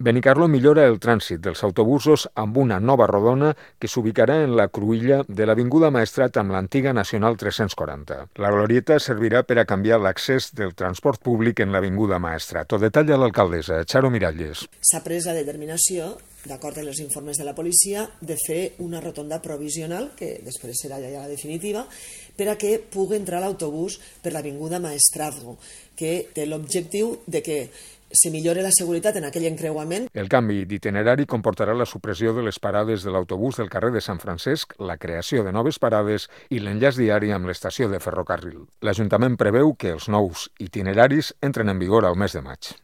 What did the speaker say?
Benicarló millora el trànsit dels autobusos amb una nova rodona que s'ubicarà en la cruïlla de l'Avinguda Maestrat amb l'antiga Nacional 340. La glorieta servirà per a canviar l'accés del transport públic en l'Avinguda Maestrat. Ho detalla l'alcaldessa, Charo Miralles. S'ha pres la determinació, d'acord amb els informes de la policia, de fer una rotonda provisional, que després serà ja la definitiva, per a que pugui entrar l'autobús per l'Avinguda Maestrazgo, que té l'objectiu de que se millore la seguretat en aquell encreuament. El canvi d'itinerari comportarà la supressió de les parades de l'autobús del carrer de Sant Francesc, la creació de noves parades i l'enllaç diari amb l'estació de ferrocarril. L'Ajuntament preveu que els nous itineraris entren en vigor al mes de maig.